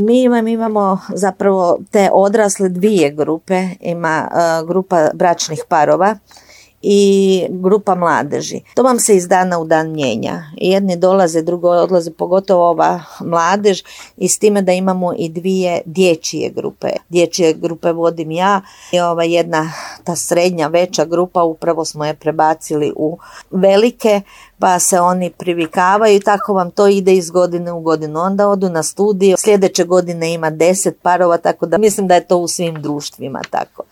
Mi imamo zapravo te odrasle dvije grupe, ima grupa bračnih parova i grupa mladeži. To vam se iz dana u dan mijenja. Jedni dolaze, drugo odlaze, pogotovo ova mladež, i s time da imamo i dvije dječje grupe. Dječje grupe vodim ja i jedna, ta srednja, veća grupa, upravo smo je prebacili u velike, pa se oni privikavaju i tako vam to ide iz godine u godinu. Onda odu na studiju, sljedeće godine ima 10 parova, tako da mislim da je to u svim društvima tako.